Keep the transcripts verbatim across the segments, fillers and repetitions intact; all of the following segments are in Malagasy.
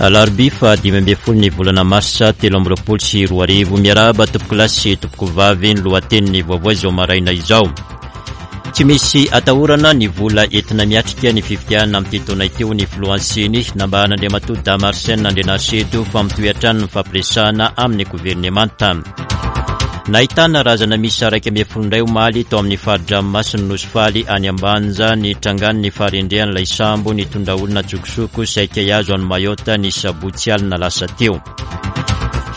Alarobia faha dimy ambin'ny folo ny volana marsa telo amby roapolo sy roa arivo. Miarahaba tompoko lahy sy tompoko vavy, ny lohatenin'ny vaovao izao maraina izao. Tsy misy atahorana ny vola entina miatrika ny fifidianana amin'ity taona ity, hoy ny filohan'ny CENI. Nambaran'Andriamatoa Dama Arsène Andrianarisedo fa mitohy hatrany ny fampiresahana amin'ny governemanta. Nahitana razana miisa iraika ambin'ny folo indray omaly tao amin'ny fari-dranomasin'ny Nosy Faly any Ambanja ny trangan'ny faharendrehan'ilay sambo nitondra olona an-tsokosoko saika hihazo an'i Mayotte ny sabotsy alina lasa teo.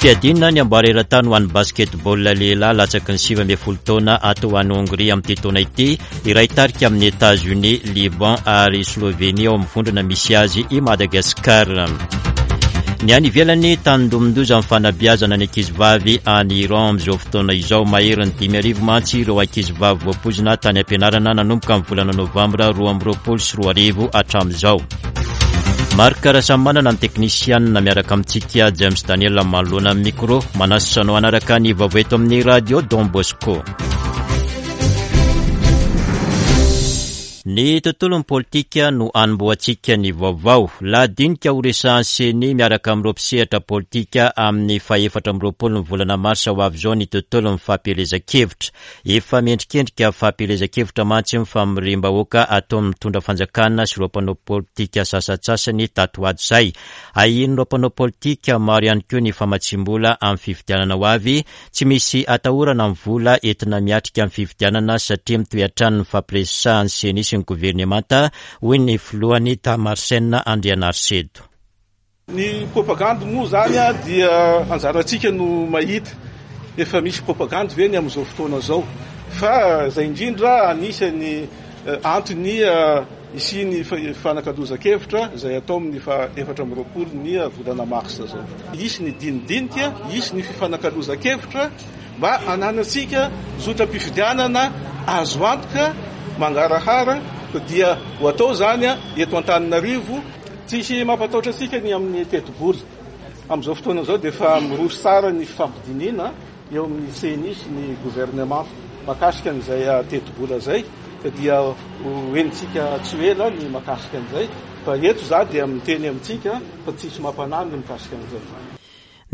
Fiadiana ny amboara eran-tany ho an'ny basketball lehilahy latsaky ny sivy ambin'ny folo taona atao any Hongrie amin'ity taona ity, iray tarika amin'ny Etats-Unis, Liban ary Slovenie ao amin'ny vondrona misy azy i Madagasikara. Ny any ivelany, tandindomin-doza amin'ny fanabeazana ny ankizivavy any Iran amin'izao fotoana izao. Maherin'ny dimy arivo mantsy ireo ankizivavy voapoizina tany am-pianarana nanomboka amin'ny volana novambra roa amby roapolo sy roa arivo hatramin'izao. Marc Rasamanana ny teknisianina miaraka amintsika, James Daniel manoloana amin'ny micro. Manasa anao hanaraka ny vaovao eto amin'ny radio Don Bosco. Ny tontolon'ny politika no anombohantsika ny vaovao. Lahadinika ho resahan'ny CENI miaraka amin'ireo mpisehatra politika amin'ny fahefatra amby roapolo ny volana marsa ho avy izao ny tontolon'ny fampielezan-kevitra. Efa mendrikendrika fampielezan-kevitra mantsy ny famoriam-bahoaka ataon'ny mitondra fanjakana sy ireo mpanao politika sasantsasany tato ho ato izay. Ahian'ireo mpanao politika maro ihany koa ny famatsiam-bola amin'ny fifidianana ho avy. Tsy misy atahorana ny vola entina miatrika ny fifidianana satria mitohy hatrany ny fampiresahan'ny CENI sy ny governemanta, hoy ny filohany Dama Arsène Andrianarisedo. Ny propagandy moa zany dia anjarantsika no mahita efa misy propagandy ve ny amin'izao fotoana izao, fa izay indrindra anisan'ny antony hisian'ny fanakalozan-kevitra izay atao amin'ny faha efatra amby roapolo ny volana marsa izao. Hisy ny dinidinika, hisy ny fifanakalozan-kevitra mba hananantsika zotram-pifidianana azo antoka mangarahara, dia ho atao zany eto Antananarivo. Tsisy mampatahotra antsika ny amin'ny tetibola. Amin'izao fotoana izao dia efa miroso tsara ny fifampidinihana eo amin'ny CENI sy ny gouvernement mahakasika an'izay tetibola izay, dia ho henontsika tsy ho ela ny mahakasika an'izay, fa eto za dia miteny amintsika fa tsisy mampanahy ny mikasika an'izay.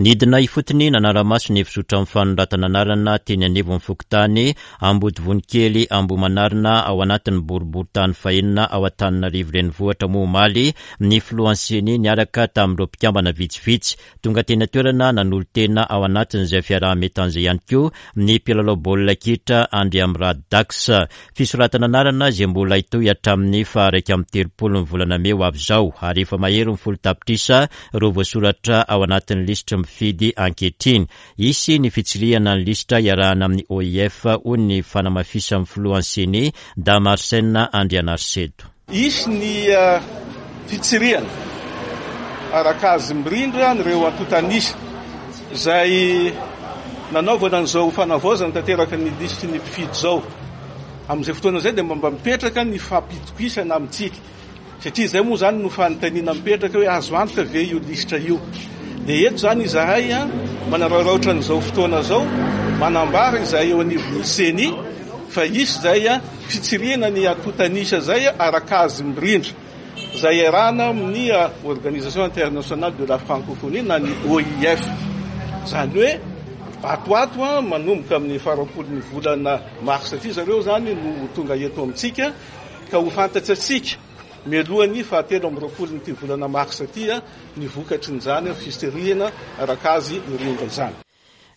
Nidina ifotony nanara-maso ny fizotran'ny fanoratana anarana teny anivon'ny fokontany Ambodivonikely Ambohimanarina ao anatin'ny boriborintany fahenina ao Antananarivo renivohitra moa omaly ny filohan'ny CENI niaraka tamin'ireo mpikambana vitsivitsy. Tonga teny an-toerana nanolo-tena ao anatin'izay fiaraha-mientan'izay ihany koa ny mpilalao baolina kitra Andriamirado Dax. Fisoratana anarana izay mbola hitohy hatramin'ny faha iraika amby telopolo ny volana mey ho avy izao, ary efa mahery ny folo tapitrisa ireo voasoratra ao anatin'ny lisitry mifidy ankehitriny. Hisy ny fitsirihana ny lisitra iarahana amin'ny O I F, hoy ny fanamafisan'ny filohan'ny CENI, Dama Arsène Andrianarisedo. Hisy ny fitsirihana araka azy mirindra an'ireo antontan'isa izay nanaovana an'izao fanavaozana tanteraka ny lisitry ny mpifidy izao. Amin'izay fotoana izay dia mba mipetraka ny fampitokisana amintsika, satria izay moa zany no fanontaniana mipetraka hoe azo antoka ve io lisitra io. Dia eto zany izahay manararaotra an'izao fotoana izao, manambara izahay eo anivon'ny CENI fa hisy izay fitsirihana ny antontan'isa izay araka azy mirindra, izay iarahana amin'ny Organisation Internationale de la Francophonie na ny O I F. Izany hoe ato ato manomboka amin'ny faharoapolo ny volana marsa ity zareo zany no ho tonga eto amintsika, ka ho fantatsika mialohan'ny fahatelo amby roapolo nyity volana marsa ity ny vokatry ny zany fitsirihana araka azy mirindra izany.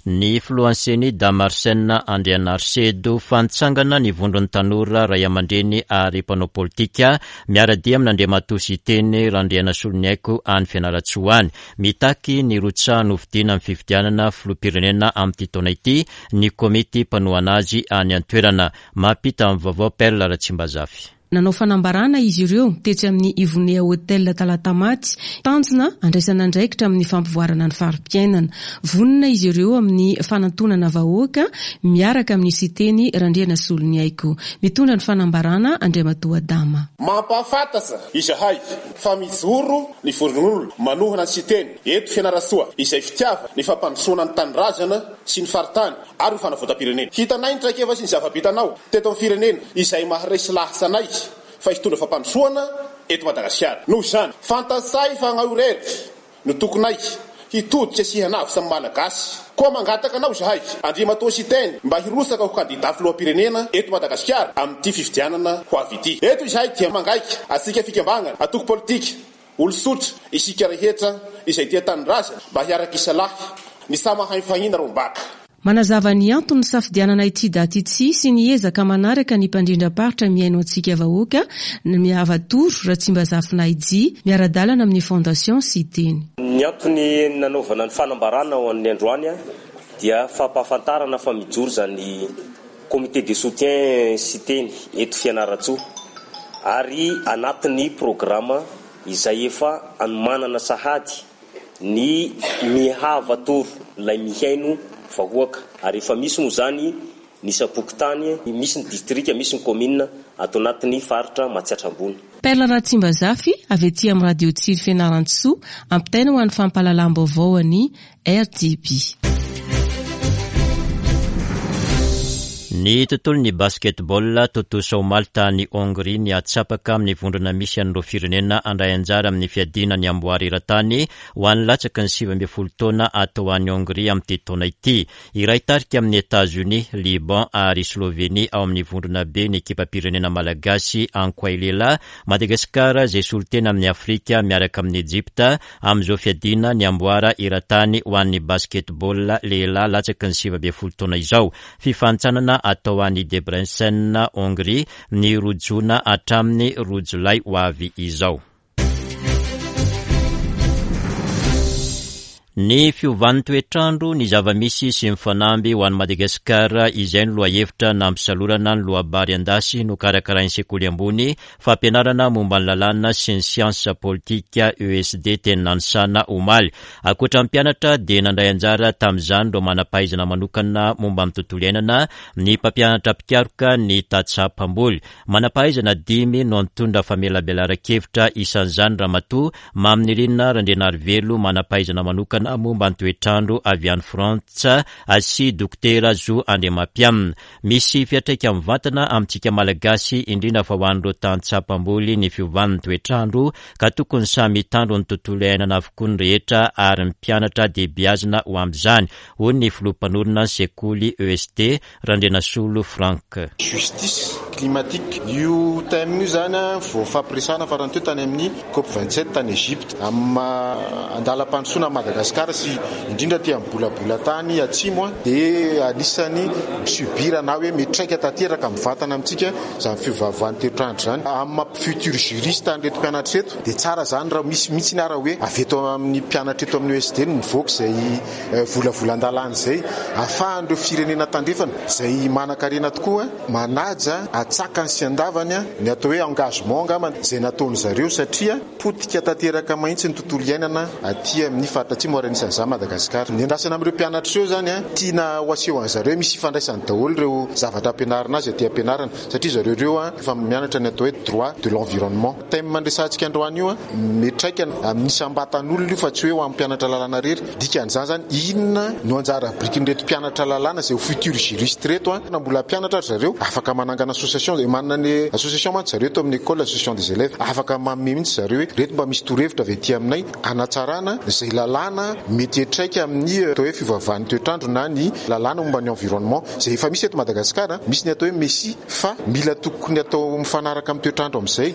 Ny filohan'ny CENI Dama Arsène Andrianarisedo, fantsangana ny vondron'ny tanora ray aman-dreny ary mpanao politika miara-dia amin'Andriamatoa Siteny Randrianasoloniaiko any Fianarantsoa any. Mitaky ny rotsahana hofidiana amin'ny fifidianana filoham-pirenena amin'ity taona ity ny komity mpanohana azy any an-toerana. Mampita ny vaovao Perle Ratsimbazafy. Nanao fanambarana izy ireo tetsy amin'ny Ivonea Hotel Talatamaty, tanjona andraisana andraikitra amin'ny fampivoarana ny fari-piainana. Vonona izy ireo amin'ny fanantonana vahoaka miaraka amin'ny Siteny Randrianasoloniaiko. Mitondra ny fanambarana Andriamatoa Adama. Mampahafantatra izahay fa mijoro ny vondron'olona manohana ny Siteny eto Fianarantsoa izay fitiavana ny fampandrosoana ny tanindrazana sy ny faritany ary ny fanavotam-pirenena. Hitanay ny traikefa sy ny zava-bitanao teto amin'ny firenena izay maharesy lahatra anay fa hitondra fampandrosoana eto Madagasikara. Noho izany, fantatsay fa anao irery no tokonay hitodika sy hanavotra ny Malagasy. Koa mangataka anao izahay, Andriamatoa Siteny, mba hirotsaka ho kandida filoham-pirenena eto Madagasikara amin'ity fifidianana ho avy ity. Eto izahay dia mangaika antsika fikambanana, antoko politika, olon-tsotra, isika rehetra izay tia tanindrazana mba hiaraka isalahy ny samy hahay mifahina rombaka. Manazava ny antony nisafidianana ity daty ity sy ny ezaka manaraka ny mpandrindram-paritra mihaino antsika vahoaka Miavatoro Ratsimbazafy miara-dalana amin'ny Fondation Siteny. Ny antony nanaovana ny fanambarana ho an'ny androany dia fampahafantarana fa mijoro zany comité de soutien Siteny eto Fianarantsoa ary anatin'ny programme izay efa anomanana sahady ny Mihavatoro ilay mihaino vahoaka ary efa misy moa zany ny isam-pokontany, misy ny distrika, misy ny commune ato anatin'ny faritra Matsiatra Ambony. Perla Ratsimbazafy avy aty amin'ny radio Tsiry Fianarantsoa ampitaina ho an'ny fampahalalam-baovao any R T B. Ny tontolon'ny basketball, tontosa omaly tany Hongrie ny atsapaka amin'ny vondrona misy an'ireo firenena handray anjara amin'ny fiadiana ny amboara eran-tany ho an'ny latsaky ny sivy ambin'ny folo taona atao any Hongrie amin'ity taona ity. Iray tarika amin'ny États-Unis, Liban ary Slovenie ao amin'ny vondrona B ny ekipam-pirenena malagasy Ankoay lehilahy. Madagasikara izay solontena amin'ny Afrika miaraka amin'ny Egypta amin'izao fiadiana ny amboara eran-tany ho an'ny basketball lehilahy latsaky ny sivy ambin'ny folo taona izao. Fifanintsanana atao any Debrecen, Hongrie, ny roa jona hatramin'ny roa jolay ho avy izao. Ny fiovan'ny toetrandro, ny zava-misy sy ny fanamby ho an'i Madagasikara, izay ny lohahevitra nampisalorana ny loabary an-dasy nokarakarain'ny sekoly ambony fampianarana momba ny lalàna sy ny siansa politika E S D teny Nanisana omaly. Ankoatra ny mpianatra dia nandray anjara tamin'izany ireo manam-pahaizana manokana momba ny tontolo iainana, ny mpampianatra mpikaroka, ny tantsaha mpamboly. Manam-pahaizana dimy no nitondra famelabelaran-kevitra, isan'izany Ramatoa Maminirina Randrianarivelo, manam-pahaizana manokana momba ny toetrandro avy any Frantsa, sy Dokotera Zo Andriamampianina. Misy fiantraika mivantana amintsika Malagasy, indrindra fa ho an'ireo tantsaha mpamboly, ny fiovan'ny toetrandro ka tokony samy hitandro ny tontolo iainana avokoa ny rehetra ary ny mpianatra dia beazina ho amin'izany, hoy ny filoha mpanorina ny sekoly E S D Randrianasolo Frank. Justice climatique io thème io zany a vao fampiresana farany teo tany amin'ny COP vingt-sept tany Egypte. Amin'ny andalam-pandrosoana Madagasikara sy indrindra ty amin'ny bolabola tany atsimo a dia anisany mi-subir na hoe mitraika tanteraka mivantana amintsika zany fiovaovan'ny toetrandro zany. Amin'ny maha futur juriste an'ireto mpianatra eto dia tsara zany raha misy mihitsy ny ara hoe avy eto amin'ny mpianatra eto amin'ny E S D no mivoaka izay volavolan-dalàna izay ahafahan'ireo firenena tandrefana izay manan-karena tokoa manaja atsakany sy andavany ny atao hoe engagement angamba izay nataony zareo, satria potika tanteraka mahitsy ny tontolo iainana aty amin'ny faritra atsimo ary anisan'izany Madagasikara. Ny andrasana amin'ireo mpianatra ireo zany a tiana ho aseho an'zareo misy ifandraisany daholo ireo zavatra ampianarina azy aty ampianarana, satria zareo ireo a efa mianatra ny atao hoe droit de l'environnement. Thème andresantsika androany io a mitraika amin'ny isam-batan'olona io fa tsy hoe ho amin'ny mpianatra lalàna rery. Dikan'izany zany, inona no anjara birikin'ireto mpianatra lalàna izay ho futur juriste reto a na mbola mpianatra ary zareo afaka manangana association, manana ny association mantsy zareo eto amin'ny école, association des élèves, afaka manome mihitsy zareo hoe reto mba misy torohevitra avy aty aminay anatsarana izay lalàna mety hiatraika amin'ny atao hoe fiovaovan'ny toetrandro na ny lalàna momba ny environnement izay efa misy eto Madagasikara. Misy ny atao hoe MECI fa mila tokony atao mifanaraka amin'ny toetrandro amin'izay.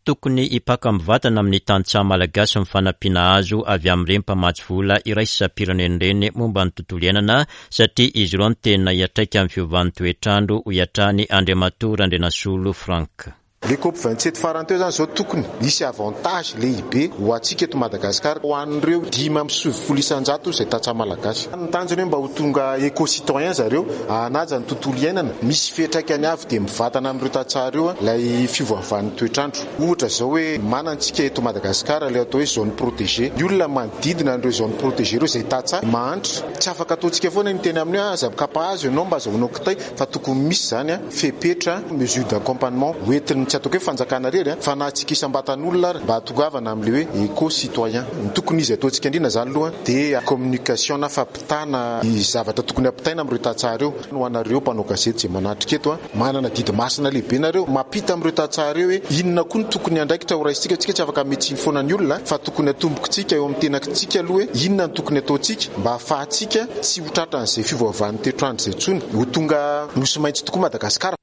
Tokony hipaka mivantana amin'ny tantsaha malagasy ny fanampiana azo avy amin'ireny mpamatsy vola iraisam-pirenena ireny momba ny tontolo iainana, satria izy ireo no tena hiatraika amin'ny fiovan'ny toetrandro, hoy hatrany Andriamatoa Randrianasolo Frank. Le COP vingt-sept farany teo zany zao tokony misy avantage lehibe ho antsika eto Madagasikara, ho an'ireo dimy amby sivifolo isanjato izay tantsaha malagasy. Ny tanjony hoe mba ho tonga éco-citoyen zareo, hanaja ny tontolo iainana. Misy fiantraikany avy dia mivantana amin'ireo tantsaha ireo lay fiovaovan'ny toetrandro. Ohatra zao hoe manantsika eto Madagasikara le atao hoe zone protégée. Ny olona manodidina an'ireo zone protégée ireo izay tantsaha mahantra, tsy afaka ataontsika foana ny teny amin'ny hoe aza mikapa azy ianao mba azahoanao kitay, fa tokony misy zany a fepetra, mesure d'accompagnement hoentin'ny Tsy ataoko hoe fanjakana rery fa na antsika isam-batan'olona ary mba hahatongavana amin'ilay hoe éco-citoyen. Ny tokony izy ataontsika indrindra izany aloha dia communication na fampitana ny zavatra tokony hampitaina amin'ireo tantsaha ireo. Ho anareo mpanao gazety izay manatrika eto, manana didy masina lehibe nareo mampita amin'ireo tantsaha ireo hoe inona koa no tokony andraikitra ho raisintsika. Tsika tsy afaka mitsiny foana ny olona fa tokony atombokitsika eo amin'ny tenantsika aloha hoe inona no tokony ataontsika mba ahafahantsika tsy ho tratran'izay fiovaovan'ny toetrandro izay intsony, ho tonga nosy maitso tokoa Madagasikara.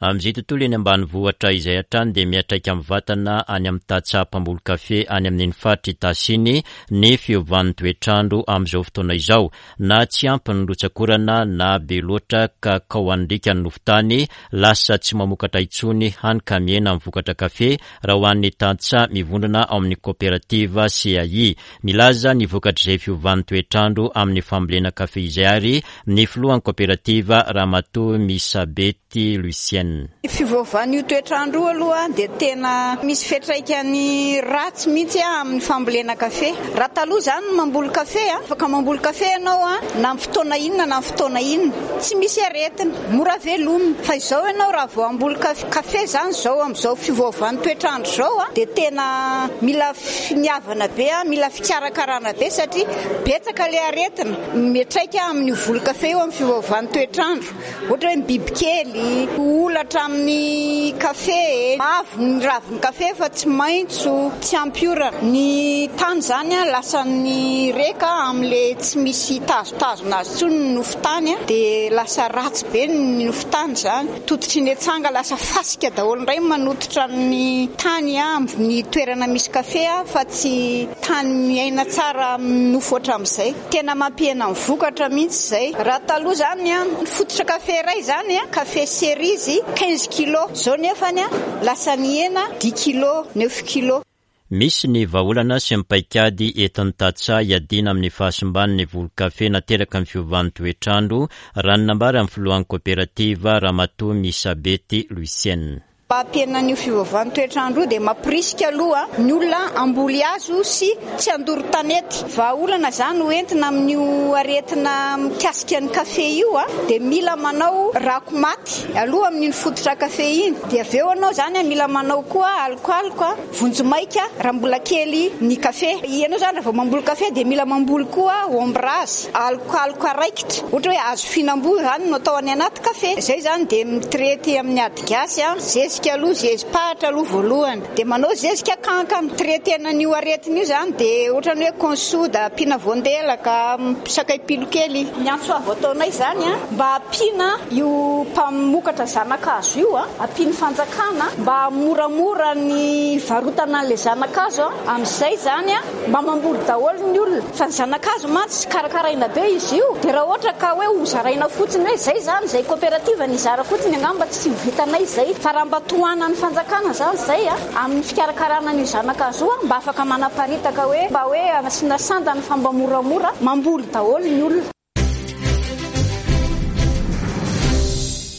Amin'izay tontolo eny ambanivohitra izay hatrany dia miantraika mivantana any amin'ny tantsaha mpamboly kafe any amin'iny faritra Itasy iny ny fiovan'ny toetrandro amin'izao fotoana izao. Na tsy ampy ny rotsak'orana na be loatra ka kaoan'irika ny nofon-tany, lasa tsy mamokatra intsony hany ka mihena ny vokatra kafe raha ho an'ny tantsaha mivondrona ao amin'ny coopérative C A I. Milaza ny vokatr'izay fiovan'ny toetrandro amin'ny fambolena kafe izay ary ny filohan'ny coopérative Ramatoa Misabety Lucienne. Fivoavan'io toetrandro aloha dia tena misy fiantraikany ratsy mihitsy amin'ny fambolena kafe. Raha taloha izany mamboly kafe, afaka mamboly kafe ianao na amin'ny fotoana inona na amin'ny fotoana inona, tsy misy aretina, mora velomina. Fa izao ianao raha vao hamboly kafe izany izao amin'izao fivoavan'ny toetrandro izao dia tena mila finiavana be, mila fikarakarana be satria betsaka ilay aretina miantraika amin'io voly kafe io amin'ny fivoavan'ny toetrandro. Ohatra hoe ny bibikely, olatra amin'ny kafe, mavo ny ravin'ny kafe fa tsy maitso, tsy ampy orana. Ny tany izany lasa ny reka amin'ilay tsy misy tazotazona azy intsony ny nofon-tany, dia lasa ratsy be ny nofon-tany izany. Tototry ny atsanga lasa fasika daholo indray manototra ny tany amin'ny toerana misy kafe fa tsy tany miaina tsara amin'ny nofo hatramin'izay. Tena mampihena ny vokatra mihitsy izay. Raha taloha izany ny fototra kafe iray izany, kafe cerise quinze kilos, izao nefany lasa nihena dix kilos, neuf kilos. Misy ny vahaolana sy ny paikady entin'ny tantsaha hiadiana amin'ny fahasimban'ny voly kafe nateraka ny fiovan'ny toetrandro, raha ny nambaran'ny filohan'ny coopérative Ramatoa Misabety Lucienne. Mba hampihena an'io fiovan'ny toetrandro dia mampirisika aloha ny olona hamboly hazo sy tsy handoro tanety. Vahaolana izany ho entina amin'io aretina mikasika ny kafe io dia mila manao rako maty aloha amin'iny fototra kafe iny. Dia avy eo ianao izany mila manao koa alokaloka vonjimaika raha mbola kely ny kafe. Ianao izany raha vao mamboly kafe dia mila mamboly koa ombrazy, alokaloka raikitra. Ohatra hoe hazo fihinam-boa izany no atao any anaty kafe. Izay izany dia mitraity amin'ny ady gasy, zezika aloha, zezi-pahatra aloha voalohany. Dia manao zezika kankana, traitena an'io aretina io izany dia ohatran'ny hoe consoda, ampiana voandelaka, sakay pilo kely. Ny antso avo ataonay izany mba ampiana io mpamokatra zanakazo io, ampian'ny fanjakana mba moramora ny varotana an'ilay zanakazo, amin'izay izany mba mamboly daholo ny olona. Fa ny zanakazo mantsy karakaraina be izy io, dia raha ohatra ka hoe ho zaraina fotsiny hoe izay izany, izay coopérative nizara fotsiny angamba tsy ho vitanay izay. Fa raha mba tohanan'ny fanjakana izany izay amin'ny fikarakarana an'io zanakazo io, mba afaka manaparitaka hoe mba hoe asiana sandany fa mba moramora mamboly daholo ny olona.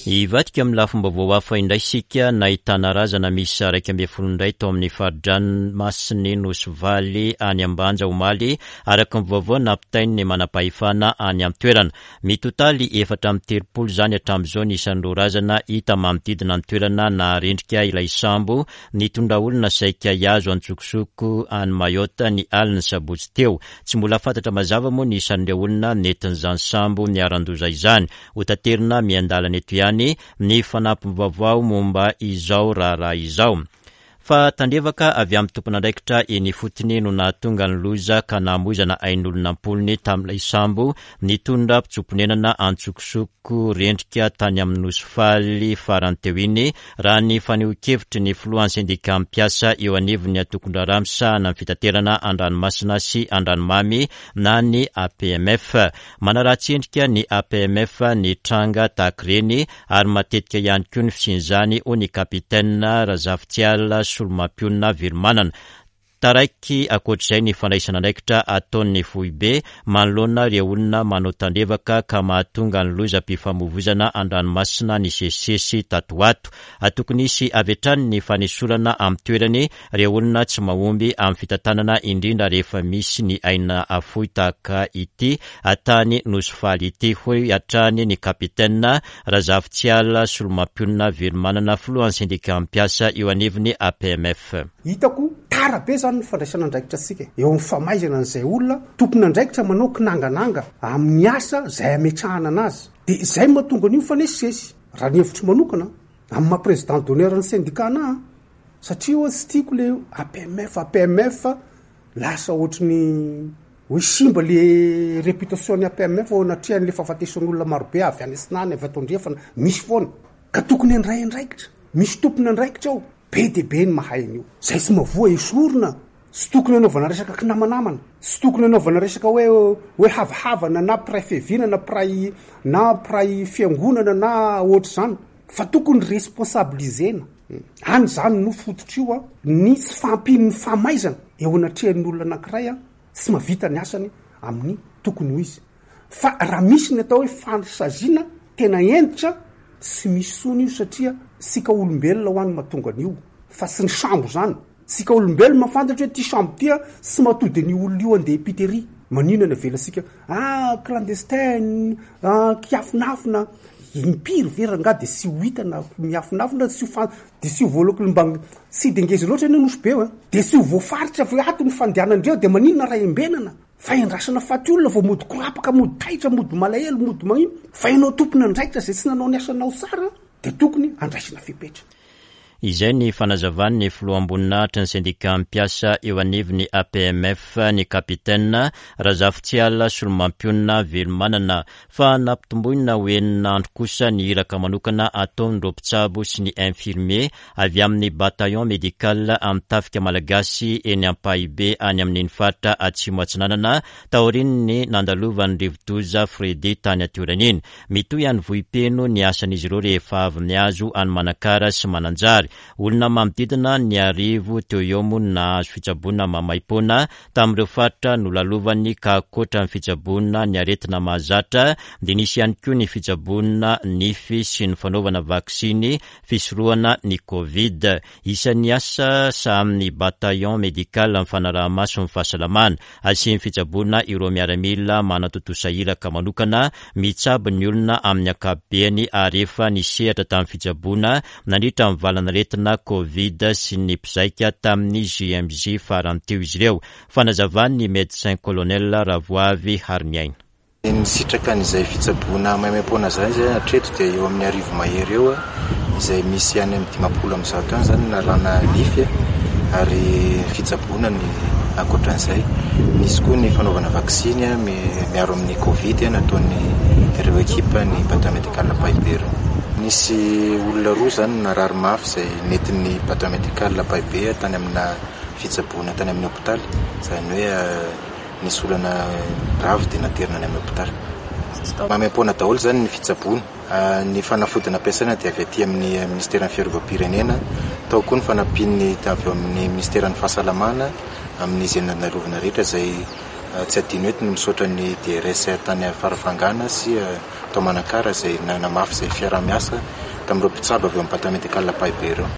Hivadika amin'ny lafim-baovao hafa indray isika, nahitana razana miisa iraika ambin'ny folo indray tao amin'ny fari-dranomasin'ny Nosy Valy any Ambanja omaly, araka ny vaovao nampitain'ny manam-pahefana any an-toerana. Mitotaly efatra amby telopolo izany hatramin'izao ny isan'ireo razana hita manodidina ny toerana naharendrika ilay sambo nitondra olona saika hihazo an-tsokosoko any Mayotte ny alin'ny sabotsy teo. Tsy mbola fantatra mazava moa ny isan'ireo olona nentin'izany sambo niharan-doza izany. Hotaterina miandalana eto ihany ny fanampim-baovao momba izao raharaha izao. Fa tandrevaka avy amin'ny tompon'andraikitra eny ifotony no nahatonga ny loza ka namoizana ain'olona am-polony tamin'ilay sambo nitondra mpitsoa-ponenana an-tsokosoko rendrika tany amin'ny Nosy Faly farany teo iny, raha ny fanehoan-kevitry ny filohan'ny sendika mpiasa eo anivon'ny antokon-draharaha misahana ny fitaterana an-dranomasina sy an-dranomamy na ny A P M F. Manaratsy endrika ny A P M F ny tranga tahaka ireny ary matetika ihany koa ny fisian'izany, hoy ny kapitaina Razafitsiala Solomampionona Velomanana. Taraiky ankoatr'izay ny fandraisana andraikitra ataon'ny foibe manoloana ireo olona manao tandrevaka ka mahatonga ny lozam-pifamoivoizana an-dranomasina nisesisesy tato ho ato. Tokony hisy avy hatrany ny fanesorana amin'ny toerany ireo olona tsy mahomby amin'ny fitantanana, indrindra rehefa misy ny aina afoy tahaka ity tany Nosy Faly ity, hoy hatrany ny kapitaina Razafitsiala Solomampionona Velomanana, filohan'ny sendika mpiasa eo anivon'ny A P M F. Hitako tara be zany ny fandraisana andraikitra antsika eo amin'ny famaizana an'izay olona tompon'andraikitra manao kinangananga amin'ny asa izay ametrahana anazy. Dia izay mahatonga an'io mifanesisesy. Raha ny hevitro manokana amin'ny maha président d'honneur ny syndicat anahy, satria oa tsy tiako le A P M F, A P M F lasa ohatry ny hoe simba le réputation ny A P M F ao anatrehan'le fahafatesan'olona marobe avy any Atsinanana, avy ato Andrefana, misy foana. Ka tokony handray andraikitra, misy tompon'andraikitra ao, be dia be ny mahay an'io. Zay tsy mavoa esorina, tsy tokony hanaovana resaka kinamanamana, tsy tokony hanaovana resaka hoe, hoe havahavana na mpiray fiaviana na mpiray, na mpiray fiangonana na ohatr'izany, fa tokony responsabilisena. Any zany no fototra io a, ny tsy fahampian'ny famaizana eo anatrehan'ny olona anankiray a, tsy mahavita ny asany amin'ny tokony ho izy. Fa raha misy ny atao hoe fansaziana tena hentitra, tsy misy sony io, satria sika olombelona ho an'ny mahatonga an'io, fa tsy ny sambo zany. Sika olombelona mahafantatra hoe ty sambo ty a, tsy mahatody an'io olona io andeha epiteria. Maninona ny avelantsika? Ah, clandestin, ah, kiafinafina. Impiry ve rangahy dia tsy ho hita na miafinafina, tsy ho fa-, dia tsy ho voaloko mba tsy de ngeza loatra anie Nosy Be io, eh. Dia tsy ho voafaritra avy ato ny fandehanandreo, dia maninona raha embenana? Fa endrasana faty olona vao mody korapaka, mody taitra, mody malahelo, mody magnino. Fa ianao tompon'andraikitra izay tsy nanao ny asanao tsara, dia tokony andraisana fepetra. Izay ny fanazavan'ny filoham-boninahitra ny sendika mpiasa eo anivon'ny A P M F, ny kapitaina Razafitsiala Solomampionona Velomanana, fa nampitomboina ho enina andro kosa ny iraka manokana ataon'ireo mpitsabo sy ny infirmier avy amin'ny bataillon médical amin'ny tafika malagasy eny Ampahibe any amin'iny faritra Atsimo Atsinanana taorian'ny nandalovan'ny rivodoza Freddy tany an-toerana iny. Mitohy any Vohipeno ny asan'izy ireo rehefa avy mihazo any Manakara sy Mananjary. Olona manodidina ny arivo teo eo moa no nahazo fitsaboana maimaimpoana tamin'ireo faritra nolalovany, ka ankoatra ny fitsaboana ny aretina mahazatra dia nisy ihany koa ny fitsaboana nify sy ny fanaovana vaksiny fisorohana ny Covid. Isan'ny asa sahamin'ny bataillon médical ny fanaraha-maso ny fahasalamana, asian'ny fitsaboana ireo miaramila manatontosa iraka manokana mitsabo ny olona amin'ny ankapobeny ary efa nisehatra tamin'ny fitsaboana nandritra ny valan'aretina Covid sy ny mpizaika tamin'ny J M J farany teo izy ireo. Fanazavan'ny médecin colonel Ravoavy Hariniaina. Ny sitraka an'izay fitsaboana maimaimpoana izany izay hatreto dia eo amin'ny arivo mahery eo, izay misy any amin'ny dimampolo amby zato any izany nalana nify ary fitsaboana ny ankoatran'izay. Nisy koa ny fanaovana vaksiny miaro amin'ny Covid nataon'ny ireo ekipa ny bataillon médical Ampahibe ireo. Nisy olona roa izany narary mafy izay nentin'ny bataillon médical Ampahibe tany amina fitsaboana tany amin'ny hôpitaly, izany hoe nisy olana grave dia naterina any amin'ny hôpitaly. Maimaimpoana daholo izany ny fitsaboana. Ny fanafodina ampiasaina dia avy aty amin'ny ministeran'ny fiarovam-pirenena, tao koa ny fanampian'ny avy eo amin'ny ministeran'ny fahasalamana amin'izay nandalovana rehetra izay tsy adino eto ny misaotra ny D R S tany Farafangana sy tao Manakara izay nanamafy izay fiaraha-miasa tamin'ireo mpitsabo avy eo amin'ny bataillon médical Ampahibe ireo.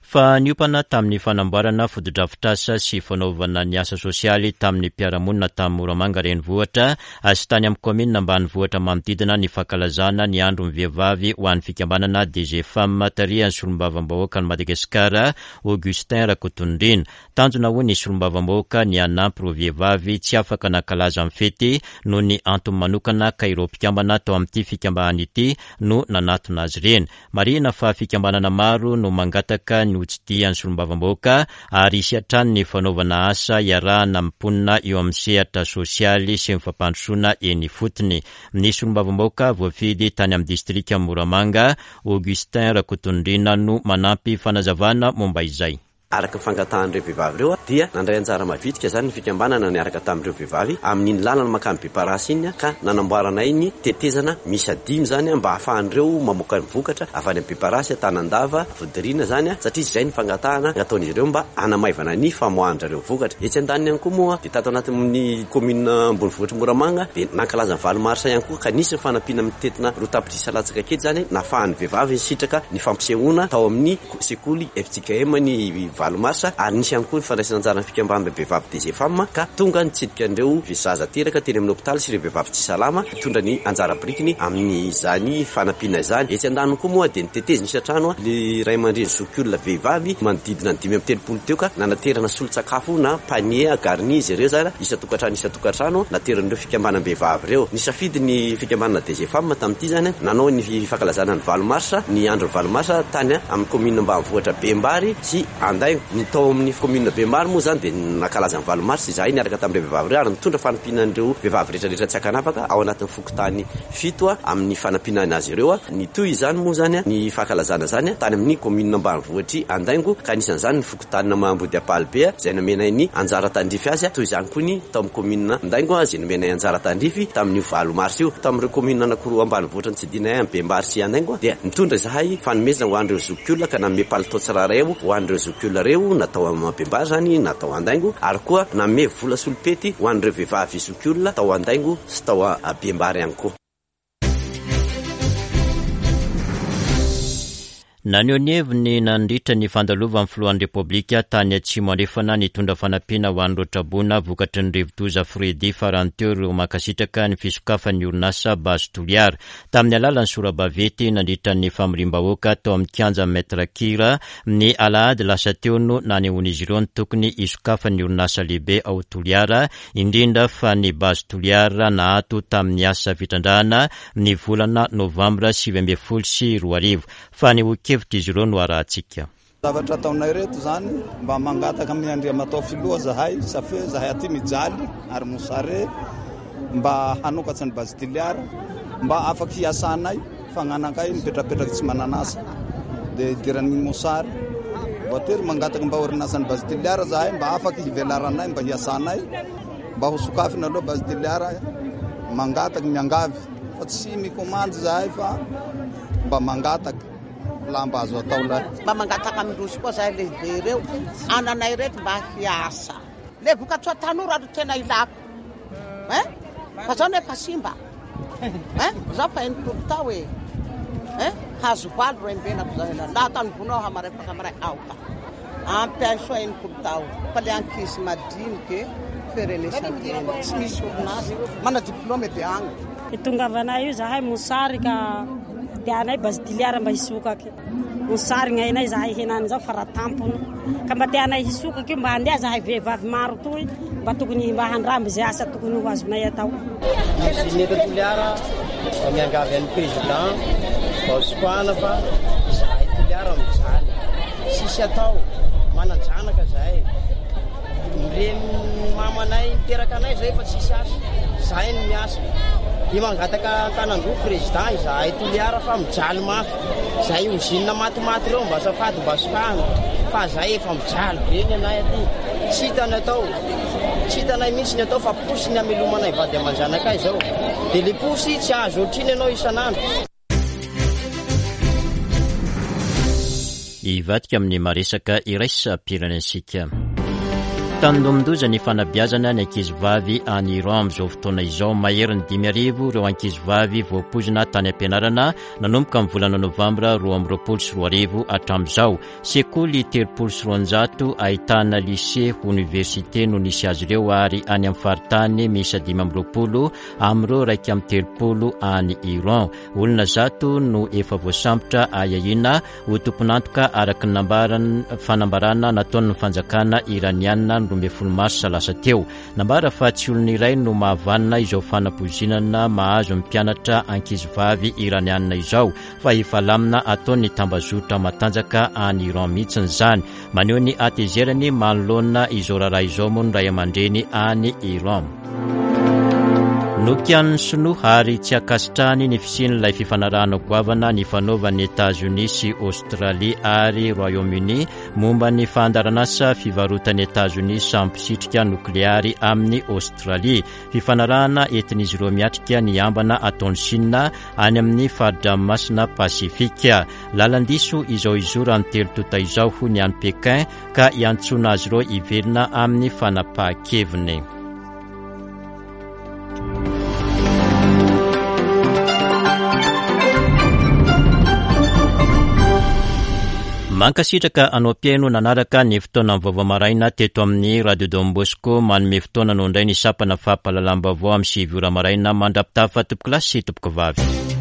Fa niompana tamin'ny fanamboarana fotodrafitrasa sy fanaovana ny asa sosialy tamin'ny mpiara-monina tamin'ny Moramanga renivohitra sy tany amin'ny kaominina ambanivohitra manodidina ny fankalazana ny andron'ny vehivavy ho an'ny fikambanana D G Femme tarihan'ny solombavambahoaka an'i Madagasikara Augustin Rakotonirina. Tanjona hoy ny solombavambahoaka ny hanampy ireo vehivavy tsy afaka nankalaza amin'ny fety noho ny antony manokana ka ireo mpikambana tao amin'ity fikambanana ity no nanatona azy ireny. Marihina fa fikambanana maro no mangataka ny hotsidihan'ny solombavambahoaka ary hisy hatrany ny fanaovana asa iarahana amin'ny mponina eo amin'ny sehatra sosialy sy ny fampandrosoana eny ifotony. Ny solombavambahoaka voafidy tany amin'ny distrika Moramanga, Augustin Rakotonirina no manampy fanazavana momba izay. Araka ny fangatahan'ireo vehivavy ireo dia nandray anjara mavitrika izany ny fikambanana niaraka tamin'ireo vehivavy amin'iny lalana mankany Beparasy iny ka nanamboaranay ny tetezana miisa dimy izany mba hahafahan'ireo mamoaka ny vokatra avy any Beparasy, Tanandava, Vodirina izany satria izay ny fangatahana nataon'izy ireo mba hanamaivana ny famoahan-drareo vokatra. Etsy andaniny ihany koa moa dia tato anatin'ny commune ambonivohitra Moramanga dia nankalaza ny valo marsa ihany koa ka nisy ny fanampiana mitentina roa tapitrisa latsaka kely izany nahafahan'ny vehivavy nisitraka ny fampisehoana tao amin'ny sekoly F J K M ny valo marsa ary nisy ihany koa ny fandraisana anjara ny fikambanana vehivavy D G Femme ka tonga nitsidika an'ireo zaza teraka teny amin'ny hopitaly sy ireo vehivavy tsy salama mitondra ny anjara birikiny amin'izany fanampiana izany. Etsy andaniny koa moa dia nitetezina isan-trano ny ray aman-dreny zokiolona vehivavy manodidina ny dimy amby telopolo teo ka nanaterana solon-tsakafo na panier garni izy ireo zany isan-tokantrano isan-tokantrano nateran'ireo fikambanam-behivavy ireo. Nisafidy ny fikambanana D G Femme tamin'ity zany nanao ny fankalazana ny valo marsa ny andro valo marsa tany amin'ny commune ambanivohitra Bembary sy Andaingo. Ny tao amin'ny commune Bembary moa zany dia nankalaza ny valo marsa izahay niaraka tamin'ireo vehivavy ireo ary nitondra fanampiana an'ireo vehivavy rehetrarehetra tsy ankanavaka ao anatin'ny fokontany fito amin'ny fanampiana azy ireo. Nitohy izany moa zany ny fankalazana zany tany amin'ny commune ambanivohitry Andaingo ka anisan'izany ny fokontany Ambody Ampalibe izay nomenay ny anjara tandrify azy, toy izany koa ny tao amin'ny commune Andaingo izay nomenay anjara tandrify tamin'io valo marsa io. Tamin'ireo commune anankiroa ambanivohitra nitsidinay amin'ny Bembary sy Andaingo dia nitondra izahay fanomezana ho an'ireo zokiolona ka nanome palitao tsirairay ho an'ireo zokiolona ireo natao amin'ny Bembary zany natao Andaingo ary koa nanome vola solopety ho an'ireo vehivavy zokiolona tao Andaingo sy tao Bembary ihany koa. Naneho ny heviny nandritra ny fandalovan'ny filohan'ny Repoblika tany Atsimo Andrefana nitondra fanampiana ho an'ireo traboina vokatry ny rivodoza Freddy farany teo ireo mankasitraka ny fisokafan'ny orinasa Base Toliara. Tamin'ny alalan'ny sora-baventy nandritra ny famoriam-bahoaka tao amin'ny kianja Maître Kira ny alahady lasa teo no nanehoan'izy ireo ny tokony hisokafan'ny orinasa lehibe ao Toliara, indrindra fa ny Base Toliara nahato tamin'ny asa fitrandrahana ny volana novambra sivy ambin'ny folo sy roa arivo. Fanehoan-kevitra izy ireo no arahantsika. Zavatra ataonay reto zany mba mangataka amin'ny Andriamatoa filoha zahay safe zahay aty mijaly ary mosare mba hanokatsy ny Base Toliara mba afaky hiasanay fa gn'anakay mipetrapetraky tsy mananasa dia idiran'ny mosary voatery mangataka mba orinasan'ny Base Toliara zahay mba afaky hivelaranay mba hiasanay mba ho sokafina aloha Base Toliara mangataky miangavy fa tsy mikomandy zahay fa mba mangataky lamba azo atao lahy. Mba mangataka amindrozy koa zahay lehibe ireo ananay reto mba hiasa le vokatsoa tanora ro tena ilako eh fa zao nefa simba eh zao fa enimpolo tao e eh hazo valo ro embenako zao ela laha tany vonao hamaray fakamaray aoka ampiasoa enimpolo tao fa le ankizy madiniky ferenesantena tsy misy orinasa mana diplôme de agny. Tongavanay io zahay mosary ka tianay Base Toliara mba hisokaky mosary gn'ainay zahay henany zao faratampony ka mba tianay hisokaky mba handeha zahay vehivavy maro toy mba tokony mba handramby zay asa tokony ho azonay atao. Usine eto Toliara mba miangavy an'ny président mba hosokahana fa zahay Toliara mijaly tsisy atao manan-janaka zahay mireny mamanay miteraka anay zay fa tsisy asa zahay no miasa dia mangataka an-tanan-droa président izahay Toliara fa mijaly mafy zahay usine matimaty ireo mba azafady mba sokahana fa zahay efa mijaly be ny anay aty tsy hitanay atao tsy hitanay mihitsy ny atao fa posy ny amelomanay vady aman-janakay zao dia le posy tsy azo ohatriny ianao isan'andro. Hivadika amin'ny maresaka iraisam-pirenentsika. Tandindomin-doza ny fanabeazana ny ankizivavy any Iran amin'izao fotoana izao. Mahery ny dimy arivo ireo ankizivavy voapoizina tany am-pianarana nanomboka amin'ny volana novambra roa amby roapolo sy roa arivo hatramin'izao. Sekoly telopolo sy roanjato ahitana lycée oniversite no nisy azy ireo ary any amin'ny faritany miisa dimy amby roapolo amin'ireo iraika amby telopolo any Iran. Olona zato no efa voasambotra ahiahiana ho tompon'antoka araka ny nambaran- fanambarana nataon'ny fanjakana iraniana roa ambin'ny folo marsa lasa teo. Nambara fa tsy olona iray no mahavanona izao fanapoizinana mahazo ny mpianatra ankizivavy iraniana izao fa efa lamina ataon'ny tambazotra matanjaka any Iran mihitsy izany. Maneho ny hatezerany manoloana izao raharaha izao moa ny ray aman-dreny any Iran. Nokianin'ny Sinoa ary tsy ankasitrahany ny fisian'ilay fifanarahana goavana ny fanaovan'ny Etazonia sy Aostralia ary Royaume-Uni momba ny fandaharanasa fivarotan'ny Etazonia samy mpisitrika nokleary amin'ny Aostralia. Fifanarahana entin'izy ireo miatrika ny ambana ataon'i Sina any amin'ny fari-dranomasina Pasifika. Lalan-diso izao izoran'ny telo tonta izao hoy ny any Pekin ka iantsoana azy ireo hiverina amin'ny fanapahan-keviny. Mankasitraka anao mpihaino nanaraka ny fotoana vaovao maraina teto amin'ny Radio Don Bosco. Manome fotoana anao indray ny sampana fampahalalam-baovao amin'ny sivy ora maraina. Mandra-pitafa tompokolahy sy tompokovavy.